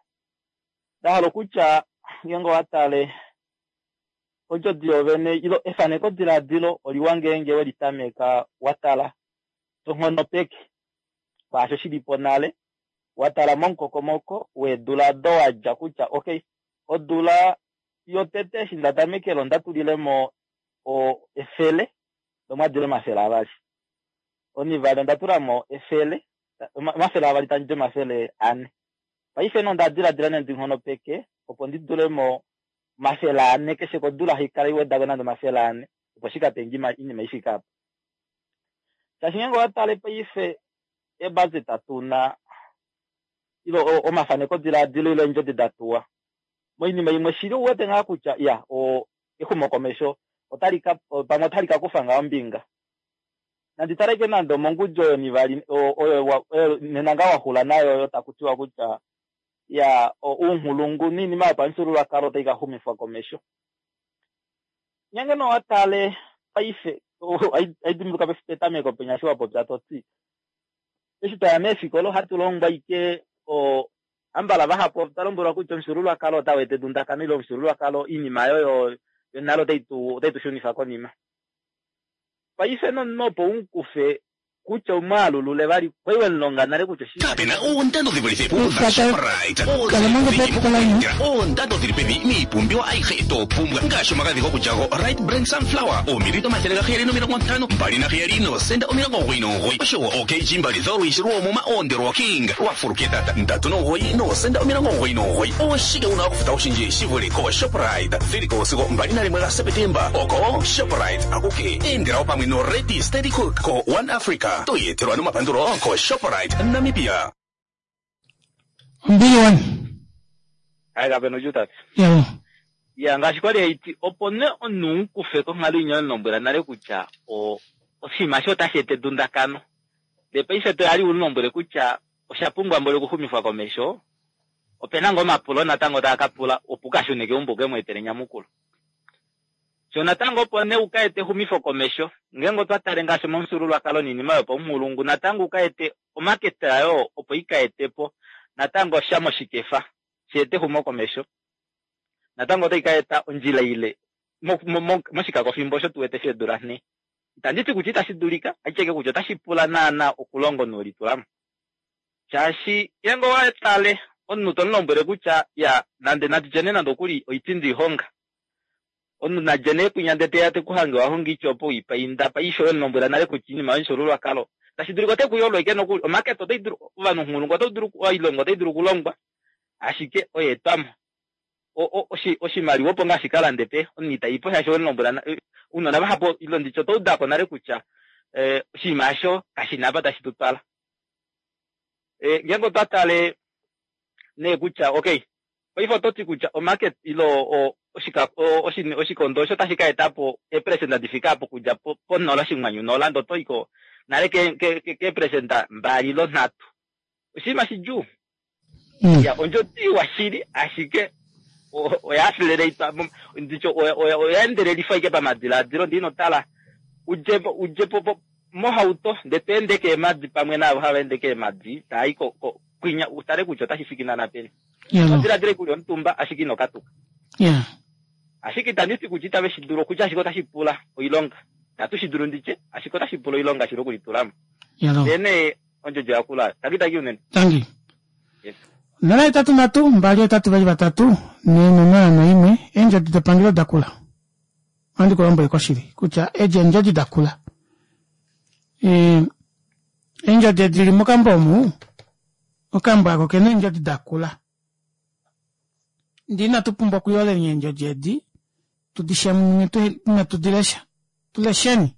Ndahala okutya ngeenge owa tale ondjodi yovene ilo efaneko diladilo oliwa ngeenge weli tameka wa tala to nghonopeke kwaasho shilipo nale, wa tala momukokomoko weedula do wadja kutya okay, odula yotete eshi nda tamekele onda tulilemo o efele nomadilo omafele avali. Onivali onda tulamo efele omafele avali tandi omafele ane. Paife no nda diladila nee ndi nghonopeke opo ndi tulemo omafele ane keshe kodula haikala iwedako nande omafele ane opo shi kapenge inima ifike apa. Shaashi ngeenge owa tale paife ebudget tuna ilo omafaneko diladilo ile eendjodi da tuwa moinima imwe shili uwete ngaa kutya ya o exumokomesho otali ka pamwe otali ka kufa ngaa ombinga. Nandi taleke nande omongudjo oyo nivali oyo nena ngaa waxula nayo oyo taku tiwa kutya ya ounghulungu niinima yopamufyuululwakalo otai ka xumifwa komesho. Ngeenge nee owa tale paife aidimbuluka petameko penya eshi wa popya toti eshi twaya meefikola ohatu longwa ike o ambala vahapu otwa lombwelwa kutya omufyuululwakalo otau eta edundakano ile omufyuululwakalo iinima yoyo yonale otai tu otai tu shunifa konima. Paife nomunhu opo umukufe kutya umwaalulule vali kwali wemulonga nale kutya Kapena oondando dhi vulithe puudha Shoprite. Oondando dhili pevi miipumbiwa ayihe to pumbwa ngaashi omagadhi gokulya go Right Brand Sunflower oomililita omathele gaheyali nomilongo ntano mbali naheyali noosenda omilongo omugoyi nomugoyi oshowo oo-kg mbali dholwiishi lwoomuma oonde lwa King lwa fuluketata ndatu nomugoyi noosenda omilongo omugoyi nomugoyi. Oshike wuna okufuta oshindji shi vule ko Shoprite dhiliko sigo mbali nalimwe gaSepetemba oko Shoprite akuke endelawo pamwe no Ready Steady Cook ko One Africa toyetelwa nomapandulo ko Shoprite Namibia. Ombili wani. Hayi kapena odjutate. Yalo. Ya ngaashi kwali haiti opo ne omunhu umukufe konghalo inya wemulombwela nale kutya o oshinima sho otashi eta edundakano. Ndee paife toyali umulombwele kutya osha pumbwa mboli okuxumifwa komesho, opena ngoo omapulo natango taa ka pula opo ukashune keumbo uke mu etele enyamukulo. Sho natango opo nee uka ete exumifo komesho, ngeenge otwa tale ngaashi momufyuululwakalo niinima yopaunghulungu natango uka ete omaketa ayo opo ika etepo natango sha moshikefa shi ete exumo komesho. Natango otai ka eta ondjila ile moshikakofimbo osho tu wete sheedula nhee. Itandi ti kutya itashi dulika, ashike kutya otashi pula naana okulonga omunhu welitulamo. Shaashi ngeenge owa tale omunhu to mulombwele kutya ya nande natu tye nee nande okuli oipindi ihonga. Omunhu nadje nee kwinya ndele teya tekuhange wa honga oitya opo weipainda paife wemulombwela nale kutya iinima yomufyuululwakalo tashi dulika ote kuyolo ashike nokuli omaketa otai dulu ovanhu onghulungu otau dulu oilonga otai dulu okulongwa ashike oyeetwamo. Oshimaliwa opo ngaa shi kalande pe omunhu itaipo shaashi wemulombwela ounona vahapu ilo nditye otwa udako nale kutya oshinima osho kashina apa tashi tu twala. Ngeenge otwa tale nee kutya okay paife ototi kutya omarket ilo oshikondo osho tashi ka etapo eeperesenda difike apo okudja ponola oshinghwanyu nola ndee otoiko nale keeperesenda mbali ilo nhatu. Oshinima shidjuu. Ya ondjodi iwa shili ashike oya accelerate nditye oya endelelifa ashike pamadiladilo ndee inotala udjepo udjepo mohauto ndee to ende keemadi pamwe naavo hava ende keemadi taayi kwinya utale kutya otashi fiki naana peni. Odiladila kuli omutumba ashike ino katuka. Yeah. Ashike itandi ti kutya itave shi dulu okutya ashike otashi pula oilonga. Itatu shi dulu nditye ashike otashi pula oilonga shili okulitulamo. Ndee nee ondjodi oyakula. Tangi tangi unene. Tangi. Yes. Nola hetatu nhatu mbali hetatu vali vatatu nhee nonola noimwe eendjodi depangelo dakula. Ohandi ku lombwele koshili kutya edi eendjodi dakula. Eendjodi edi dili mokambo omu okambo ako kena eendjodi dakula. Ndee inatu pumbwa okuyoleni eendjodi edi tudi shemunune inatu dilesha. Tulesheni.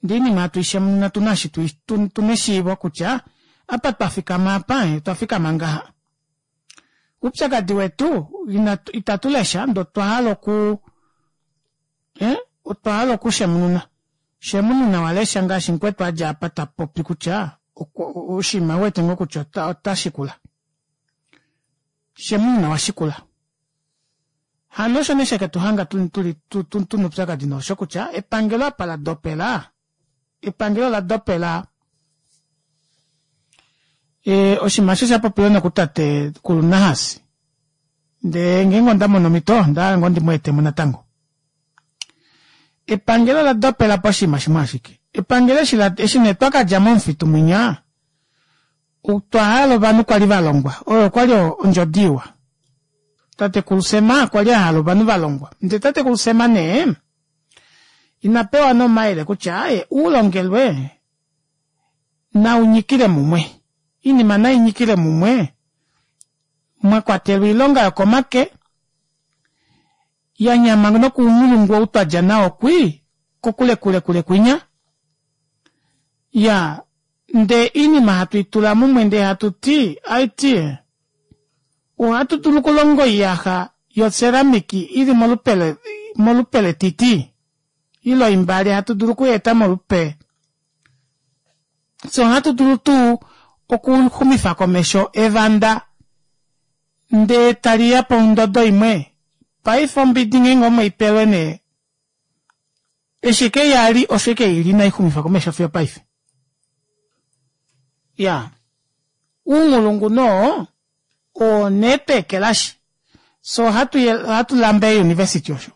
Ndee oinima hatu ishemununa tuna eshi tuna eshiivo kutya apa twa fikama apa otwa fikama ngaha. Oupyakadi wetu itatu lesha ndee otwa hala oku otwa hala okushemununa. Shemununa walesha ngaashi mukwetu adja apa tapopi kutya oshinima uwete ngoo kutya ota shikula. Shemununa washikula. Hano osho nee sheketuhanga tuna oupyakadi noosho kutya epangelo apa ladopela epangelo ola dopela E, oshinima osho sha popiwa nokutate Kulunahas. Ndee ngeenge onda mono omhito, onda hala ngoo ndi mu etemo natango. Epangelo ola dopela po oshinima shimwe ashike. Epangelo eshi la eshi nee twa kadja momufitu mwinya, otwa hala ovanhu kwali va longwa. Oyo okwali ondjodi iwa. Tatekulu Sem kwali a hala ovanhu va longwa. Ndee tatekulu Sem nee, ina pewa nee omayele kutya aaye uulongelwe naunyikile mumwe. Iinima nainyikile mumwe, mwa kwatelwa oilonga yokomake, ya nyama nokuunghulungu ou twadja nao kwii, kokule kule kule kwinya. Ya, ndee iinima hatu itula mumwe ndee hatu ti, aiti, ohatu dulu okulonga oiyaxa yoceramiki ili molupe molupe letiti, ile oimbale hatu dulu okuyeeta molupe. Fye ohatu dulu tuu okuxumifa komesho evanda ndee taliya pondodo imwe. Paife ombidi ngeenge omweipelwe nee, eshi ike yali osho ike ili inaixumifwa komesho fiyo paife. Ya, uunghulungu noo oo nee tweekelashi. So ohatu ohatu lamba eeuniversity osho.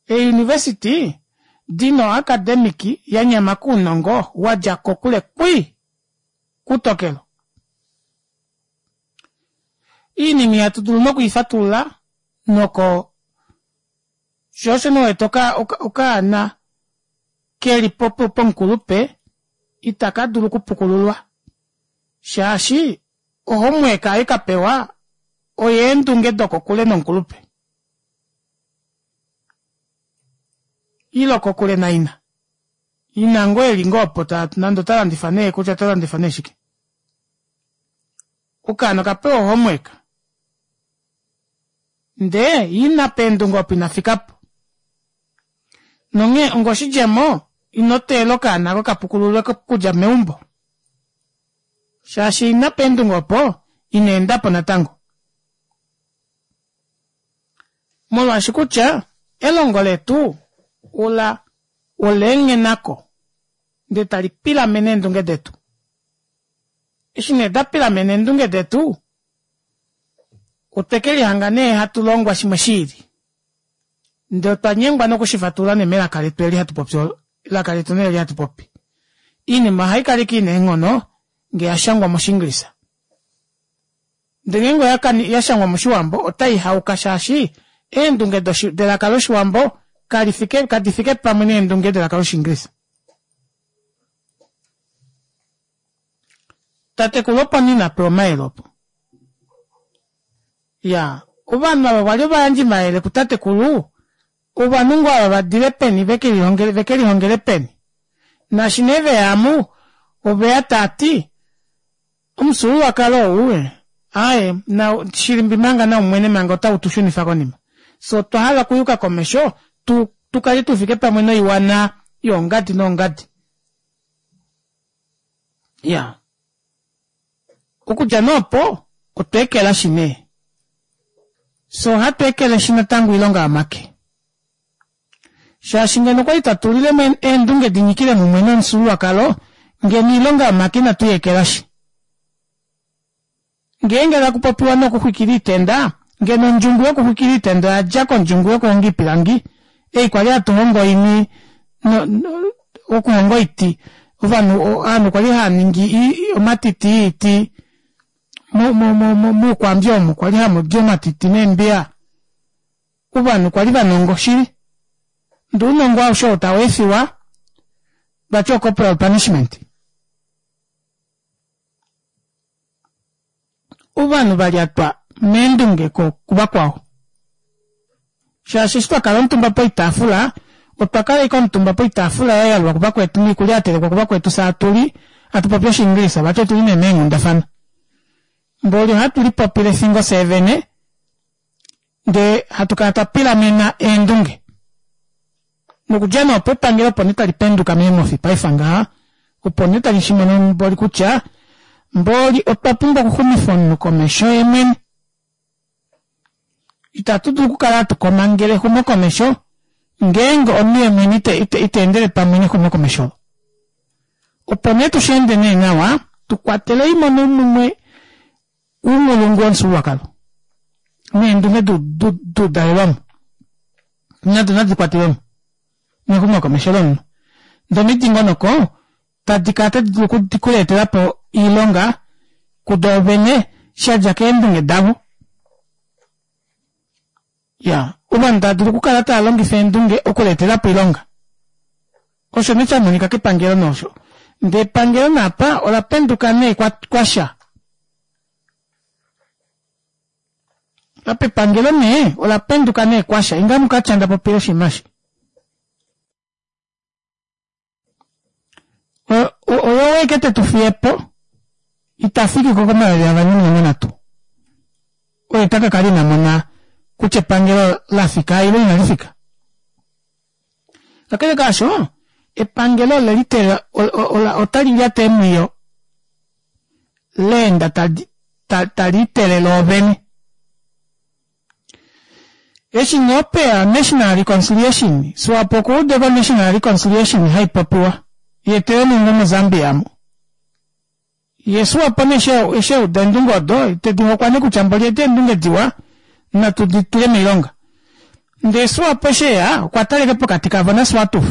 Eeuniversity dina oacademic ya nyama kounongo wadja kokule kwii kutokelo. Iinima ihatu dulu nokuifatulula noko sho osho nee wete okaana keli pomukulupe itaka dulu okupukululwa shaashi ohomework ei kapewa oyeendunge dokokule nomukulupe ile kokule naina. Ina ngoo eli ngoo opo nande ota landifa nee kutya ota landifa nee shike. Okaana okapewa ohomework ndee ina peendunge opo inafikapo. Nonghee ongoshidjemo ino teelela okaana ako kapukululwe okudja meumbo. Shaashi ina peendunge opo ina endapo natango. Molwaashi kutya elongo letu ola olaenghenako ndee tali pilamene eendunge detu. Eshi nee da pilamena eendunge detu, otwe kelihanga nee hatu longwa shimwe shiili. Ndee otwa nyengwa nokushifatulula nee melaka letu eli hatu popi, elaka letu nee eli hatu popi. Iinima ohaikala ike ina eenghono ngee yashangwa moshiingilisa. Ndee ngeenge yashangwa moshiwambo otai hauka shaashi eendunge delaka loshiwambo kalifike kadifike pamwe neendunge delaka loshiingilisa. Tatekulu opo nee ina pewa omayele opo. Ya, ovanhu ava vali ovayandji mayele kutatekulu, ovanhu ngoo ava vadile peni vekelihongele vekelihongele peni. Naashi nee veya amu, oveya taati, omufyuululwakalo ou aaye na shilimbi manga naumwene manga otau tu shunifa konima. Fye otwa hala okuyuka komesho tu tukale tufike pamwe noiwana yoongadi noongadi. Ya, okudja nee opo otwa ekelashi nee. Fye ohatu ekeleshi natango oilonga yomake. Shaashi ngeno okwali twa tulilemo eendunge dinyikile mumwe nomufyuululwakalo, ngeno oilonga yomake inatu i ekelashi. Ngeenge taku popiwa nokuxwikila oitenda, ngeno ondjungu yokuxwikila oitenda oyadja kondjungu yokuhonga oipilangi, ei kwali hatu hongo oini okuhonga oiti. Ovanhu ovanhu kwali hava ningi omatiti oiti muukwambi omu kwali hamudi omatiti neembiya. Ovanhu kwali vanongo shili. Ndee ounongo aushe oo tau efiwa, vati o corporal punishment. Ovanhu valyatwa meendunge kuvakwao. Shaashi eshi twakala omutumba poitaafula, otwa kala ashike omutumba poitaafula ya yalulwa kuvakwetu noikulya ya telekwa kuvakwetu fye hatuli, hatu popi oshiingilisa vati otuli nee meenghundafana. Mboli ohatu lipopile fingo fyee vene, ndee hatu kala twa pilamena eendunge. Nokudja nee opo epangelo opo nee tali penduka meemhofi paife ngaha, opo nee tali shimono mboli kutya mboli otwa pumbwa okuxumifa omunhu komesho yemwene. Itatu dulu okukala hatu komangele exumokomesho ngeenge omunhu yemwene ita endele pamwe nexumokomesho olo. Opo nee tusheende nee nawa, Tukwatelei mo mumwe uunghulungu womufyuululwakalo neendunge duudalelwamo nado nadi kwatelwemo mexumokomesho lomunhu ndee omidingonoko tadi kala tadi dulu okuleetelapo oilonga kudoovene shadja keendunge davo iyaa ovanhu tava dulu okukala tavalongifa eendunge okuleetelapo oilonga osho nee shamonika kepangelo nee osho ndee epangelo nee apa olapenduka nee kwasha apa epangelo nee olapenduka nee kwasha inga mukatya ndapopile oshinima eshi oye ashike tetufiyepo itafikiko komayovi avali nomilongo nhatu oye takakala inamona kutya epangelo lafika ile inalifika kakele kaasho epangelo oleliteela otalilyata eemwiyo leenda taliitelele loovene eshi nee opeya national reconciliation Swapo okuudeko national reconciliation haipopiwa yeetele nee ngoo mo Zambia aamo yee Swapo nee eshi euda eendunge odo tedihokwa nee kutya mboli edi eendunge diwa natu ditule moilonga ndee Swapo eshi eya okwatala ashike pokati kavo na Swatuf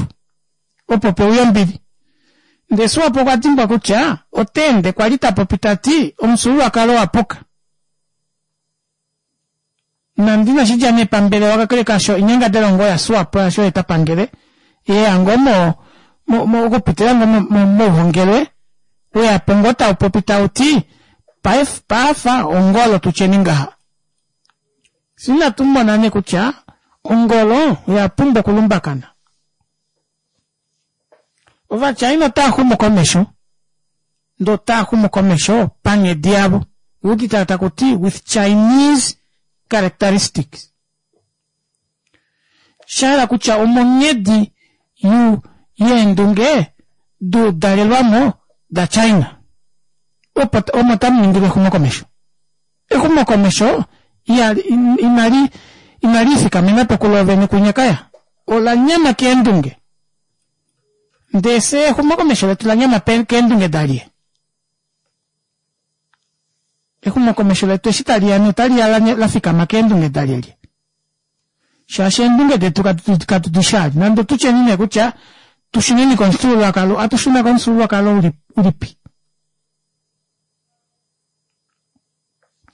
opo peuya ombili ndee Swapo okwa dimbwa kutya otaende kwali tapopi tati omufyuululwakalo owapuka nande inashidja nee pambelewa kakele kaasho oinyangadalwa ngoo ya Swapo yaashi oye tapangele yeya ngoo mo okupitila ngoo mouhongelwe weyapo ngoo taupopi tauti paife ongolo tutyeni ngaha fyee inatumona nee kutya ongolo oyapumbwa okulumbakana ova china otaaxumu komesho ndee otaaxumu komesho panghedi yavo owuudite takuti with Chinese characteristics shahala kutya omonghedi yeendunge duudalelwamo da China opo omo tamuningilwa exumokomesho exumokomesho inali inaliifikamenapo kuloovene kunyakaya olanyama keendunge ndee fyee exumokomesho letu lanyama keendunge dalye exumokomesho letu eshi taliya nee otaliya lafikama keendunge dalyelye shaashi eendunge detu katudishali nande otutyeni nee kutya tushuneni komufyuululwakalo atushuna komufyuululwakalo ulipi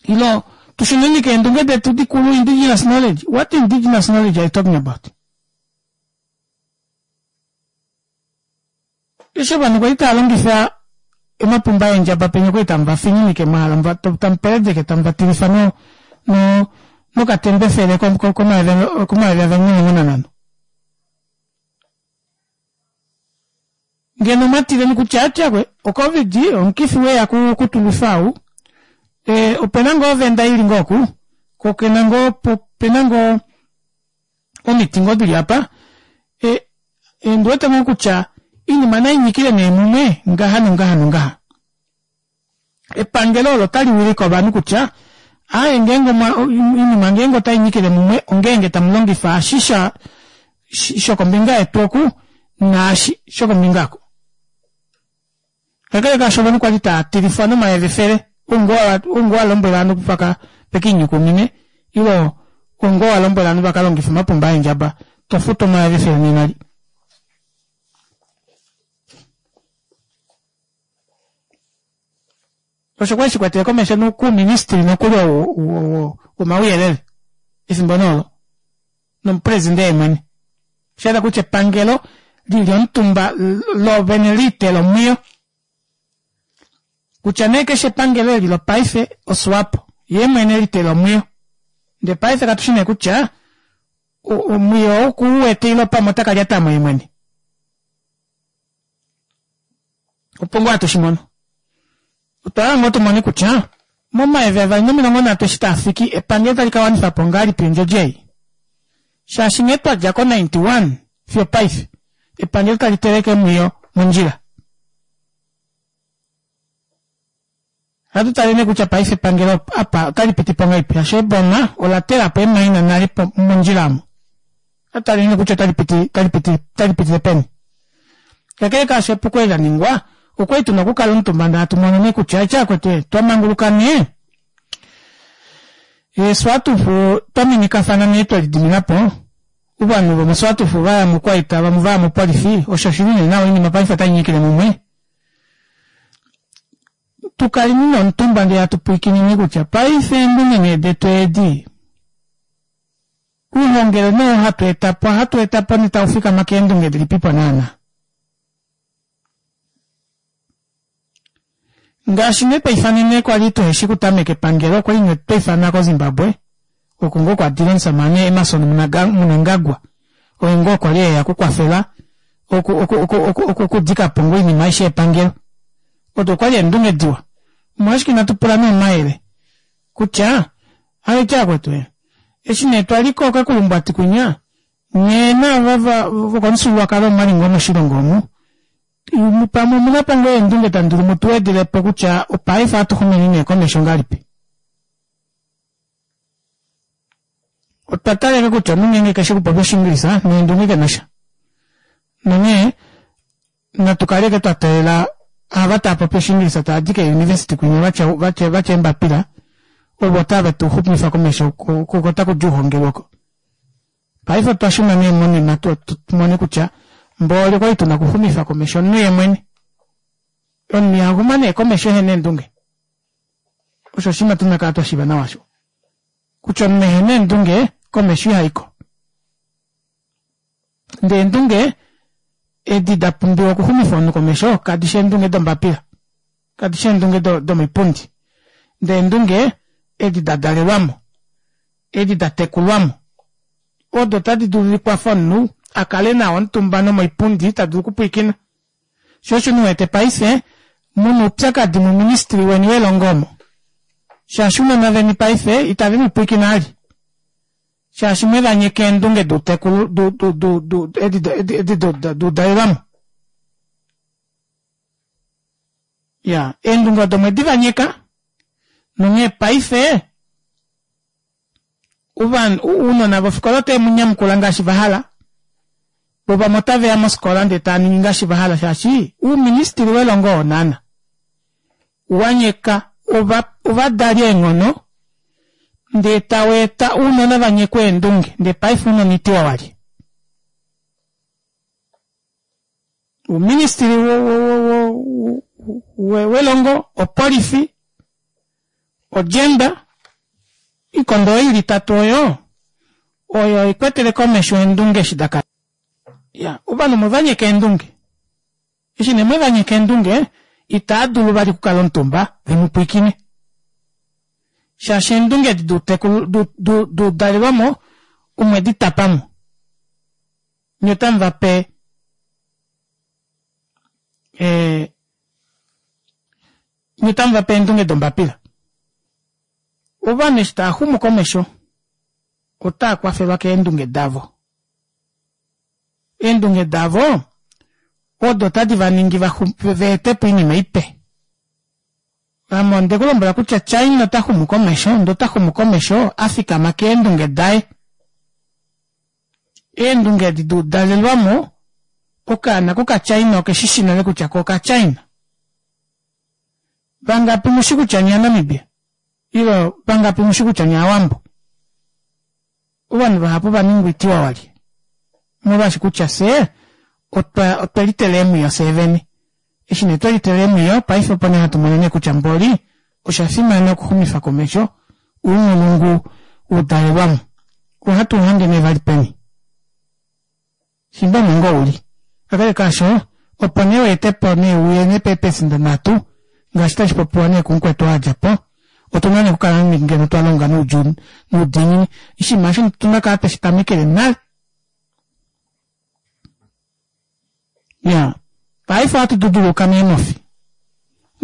ilo tushuneni keendunge detu dikulu indigenous knowledge what indigenous knowledge are you talking about eshi ovanhu kwali taalongifa omapumba eendjaba penya okwali tamuvafininike mwahala tamupeledeke tamuvatilifa no no nokatembefele komayovi avali nomilongo nanhano ngeno mwatileni kutya atyakwe ocovid omukifi weya kutulwifa ou e, opena ngoo ovenda ili ngoo oku ko okena ngoo opena ngoo omiti ngoo dili apa e, ondiwete ngoo kutya oinima nainyikile nee mumwe ngaha nongaha nongaha epangelo olo otaliwilike ovanhu kutya aaye ngeenge oinima ngeenge otainyikile mumwe ongeenge tamulongifa eshi shokombinga yetu oku naashi shokombinga oku kakele kaasho ovanhu kwali taatilifwa nomayevefele oungoo walombwela ovanhu vaka vekiinyukumine ile oungoo walombwela ovanhu vakalongife omapumba eendjaba tofutu omayevefele nenali osho kwali shikwatele komesho kuuministry nokuli womauyelele efimbo nee nomupresident yeemwene oshahala kutya epangelo lili omutumba loovene liitela omwiyo kutya nee keshe epangelo eli lopaife oswapo yeemwene litela omwiyo ndee paife katushi nee kutya omwiyo okuuwete ile pamwe otakalyatamo yeemwene opo ngoo hatushimono otwahala ngoo tumone kutya momayovi avali nomilongo nhatu eshi taafiki epangelo otali kawanifapo ngahelipi ondjodi ei shaashi nghee twadja ko ninety one fiyo paife epangelo tali teleke omwiyo mondjila ohatu tale nee kutya paife epangelo apa otali pitipo ngahelipi shaashi eboma ola telapo eemaina nale mondjila omo ohatu tale nee kutya otali piti otali piti otali pitile peni kakele kaasho epuko eli laningwa Okwali tuna okukala omutumba ndee hatu mono nee kutya eshi vakwetu twamanguluka nee eeswatufu twaminikafana nee twelidiminapo ovanhu vomoswatufu vaya moukwaita vamwe vaya mopolifi osho oshili nee nawa oinima paife otainyikile mumwe tukaleni nee omutumba ndee hatu pwiikineni kutya paife eendunge nee detu edi ouhongele nee oo hatu etapo ohatu etapo nee taufikama keendunge dilipipo naana ngaashi nee twaifanene kwali tuheshi kutameka epangelo okwali nee twaifanwa ko Zimbabwe oko ngoo kwadile omushamane Emmerson Mnangagwa oye ngoo kwali eya okukwafela oku oku oku okudikapo ngoo oinima aishe yepangelo odo okwali eendunge diwa omolwashike inatu pula nee omayele kutya aiti vakwetu eshi nee twaliko kekulumbwati kwinya nyee naava vokomufyuululwakalo omwali ngoo moshilongo omu pamwe omunapo ngoo eendunge tamudulu mutuwedelepo kutya paife ohatuxumeni nee komesho ngahelipi otwa talele kutya omunhu ngeenge keshi okupopya oshingilisa neendunge kenasha nonghee natu kale ashike twa teelela ava taapopi oshingilisa taadi kee university kwinya vatya vatya eembapila ovo tave tuxumifa komesho ko otakudi ouhongelwe oko paife otwa shuna nee monima tumone kutya mboli okwali tuna okuxumifa komesho omunhu yeemwene omunhu ihaxuma nee komesho ehena eendunge osho oshinima tuna okukala twashiiva nawa osho kutya omunhu ehena eendunge komesho ihaiko ndee eendunge edi dapumbiwa okuxumifa omunhu komesho kadishi eendunge dombapila kadishi eendunge domipundi ndee eendunge edi dadalelwamo edi datekulwamo odo tadi dulu dikwafe omunhu akale nawa omutumba nomoipundi tadulu okupwiikina shoo osho uwete paife muna oupyakadi mouministry weni welongo omo shaashi ounona veni paife itave mupwiikine vali shaashi mwevanyeka eendunge doutekulu edi doudalelwamo iya eendunge odo mwedivanyeka nonghee paife ounona vofikola otave munyamukula ngaashi vahala voo vamwe otaveya mofikola ndee taaningi ngaashi vahala shaashi ouministry welongo oo naana wanyeka ovadali eenghono ndee taweeta ounona vanyekwe eendunge ndee paife ounona itiwa wali ouministry welongo opolifi ogender oikondo oyo ili itatu oyo oyo ikwetele komesho eendunge eshi dakala iya ovanhu omwevanyeka eendunge eshi nee mwevanyeka eendunge itaadulu vali okukala omutumba vemupwiikine shaashi eendunge edi doutekulu doudalelwamo omwedi tapamo nye otamuvape ee nye otamuvape eendunge dombapila ovanhu eshi taaxumu komesho otaa kwafelwa keendunge davo eendunge davo odo tadi vaningi vaetepo oinima ipe ame ondekulombwela kutya China ota xumu komesho ndee ota xumu komesho afikama keendunge daye eendunge edi doudalelwamo okaana koka China okeshishi nale kutya ko oka China vangapi mushi kutya nye ovanamibia ile vangapi mushi kutya nye ovawambo ovanhu vahapu ovaningwa itiwa wali molwaashi kutya fyee otwa otwelitela eemwiyo fyee vene eshi nee twelitela eemwiyo paife opo nee hatu mono nee kutya mboli oshafimana okuxumifa komesho ounghulungu woudalelwamo ohatu uhange nee vali peni fimbo omo ngoo uli kakele kaasho opo nee weetepo nee uye nee peepesenda nhatu ngaashi tashi popiwa nee kumukwetu oo adjapo otuna nee okukala ngeno twalonga noudjuu noudiinini oshinima osho otuna okukala tweshi tamekele nale iya paife ohatu duduluka meemofi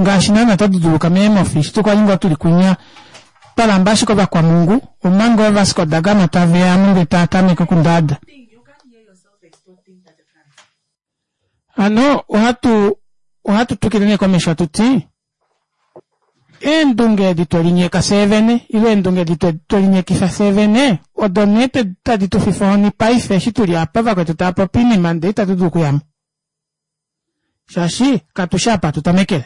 ngaashi naana twa duduluka meemofi eshi kwali ngoo tuli kwinya twalamba ashike ovakwamhungu omanga ovasco da gama taveya ndee taatameke okundaada hano ohatu ohatu twikile nee komesho hatuti eendunge edi twelinyeka fyee ile eendunge edi twelinyekifa fyee vene odo nee tadi tufifa ohoni paife eshi tuli apa vakwetu taapopi oinima ndee itatu dulu okuyamo Shaashi katushi apa hatu tamekele.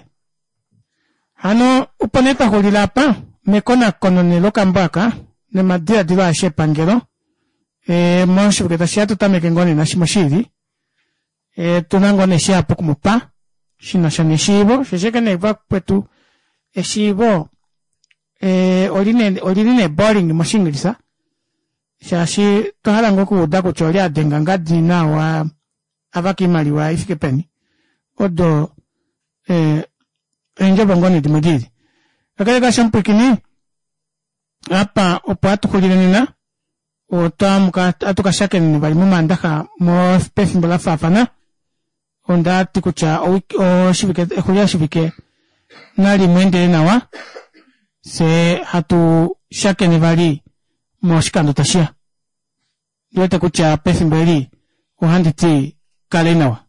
Hano opo nee twaxulila apa mekonakono nee lokambo aka nomadiladilo aeshe epangelo ee moshivike tashiya atutameke ngoo nee nashimwe shiili ee tuna ngoo nee shihapu okumupa shinasha neshiivo shoo osho ashike nee vakwetu eshiivo ee olili nee boring moshiingilisa shaashi otwa hala ngoo okuuda kutya olye adenga ngadi naau avaka oimaliwa ifike peni odo eendjovo ngoo nee dimwe diili. Kakele kaasho omupwiikini apa opo hatu xulile nena ohatu kashakeneni vali momandaxa pefimbo lafaafana ondati kutya oshivike exulilo shivike nalimweendele nawa fyee hatu shakene vali moshikando tashiya ondiwete kutya pefimbo eli ohanditi kaleni nawa.